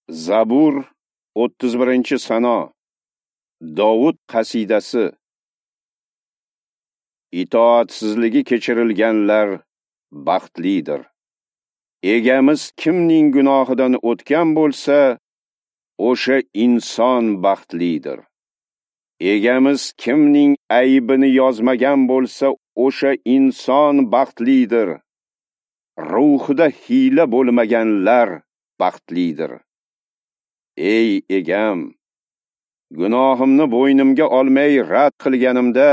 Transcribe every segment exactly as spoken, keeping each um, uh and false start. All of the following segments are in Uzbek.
Zabur o'ttiz birinchi sano. Dovud qasidasi. Itoatsizligi kechirilganlar baxtlidir. Egamiz kimning gunohidan o'tgan bo'lsa, o'sha inson baxtlidir. Egamiz kimning aybini yozmagan bo'lsa, o'sha inson baxtlidir. Ruhida hiyla bo'lmaganlar baxtlidir. Ey egam, gunohimni bo'ynimga olmay rad qilganimda,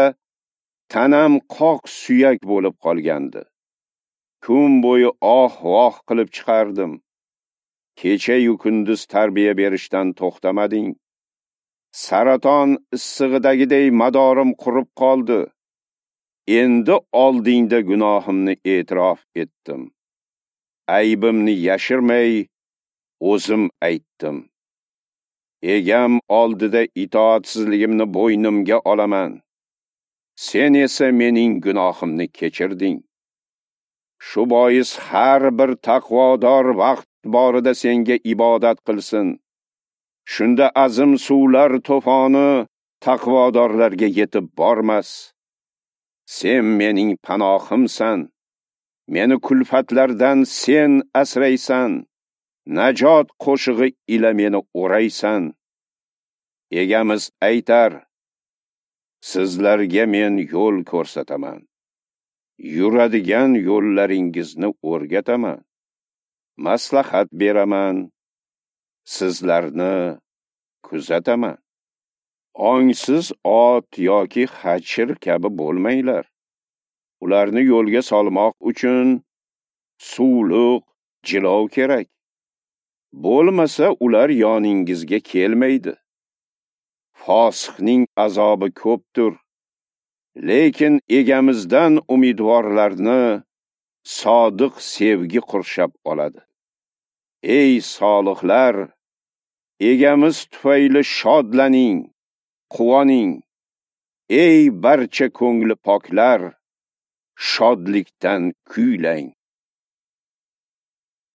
tanam qoq suyak bo'lib qolgandi. Kun bo'yi oh-voh qilib chiqardim. Kecha-yu kunduz tarbiya berishdan to'xtamading. Saraton issig'idagiday madorim qurib qoldi. Endi oldingda gunohimni e'tirof etdim. Aybimni yashirmay o'zim aytdim. Egam oldida itoatsizligimni bo'ynimga olaman. Sen esa mening gunohimni kechirding. Shu bois har bir taqvodor vaqt borida senga ibodat qilsin. Shunda azim suvlar to'foni taqvodorlarga yetib bormas. Sen mening panohimsan. Meni kulfatlardan sen asraysan. Najot qo'shig'i ila meni o'raysan. Egamiz aytar: sizlarga men yo'l ko'rsataman. Yuradigan yo'llaringizni o'rgataman. Maslahat beraman. Sizlarni kuzataman. Ongsiz ot yoki xachir kabi bo'lmanglar. Ularni yo'lga solmoq uchun suvliq, jilov kerak. Bo'lmasa ular yoningizga kelmaydi. Fosiqning azobi ko'pdir. Lekin egamizdan umidvorlarni sodiq sevgi qurshab oladi. Ey solihlar, egamiz tufayli shodlaning, quvoning. Ey barcha ko'ngli poklar, shodlikdan kuylang.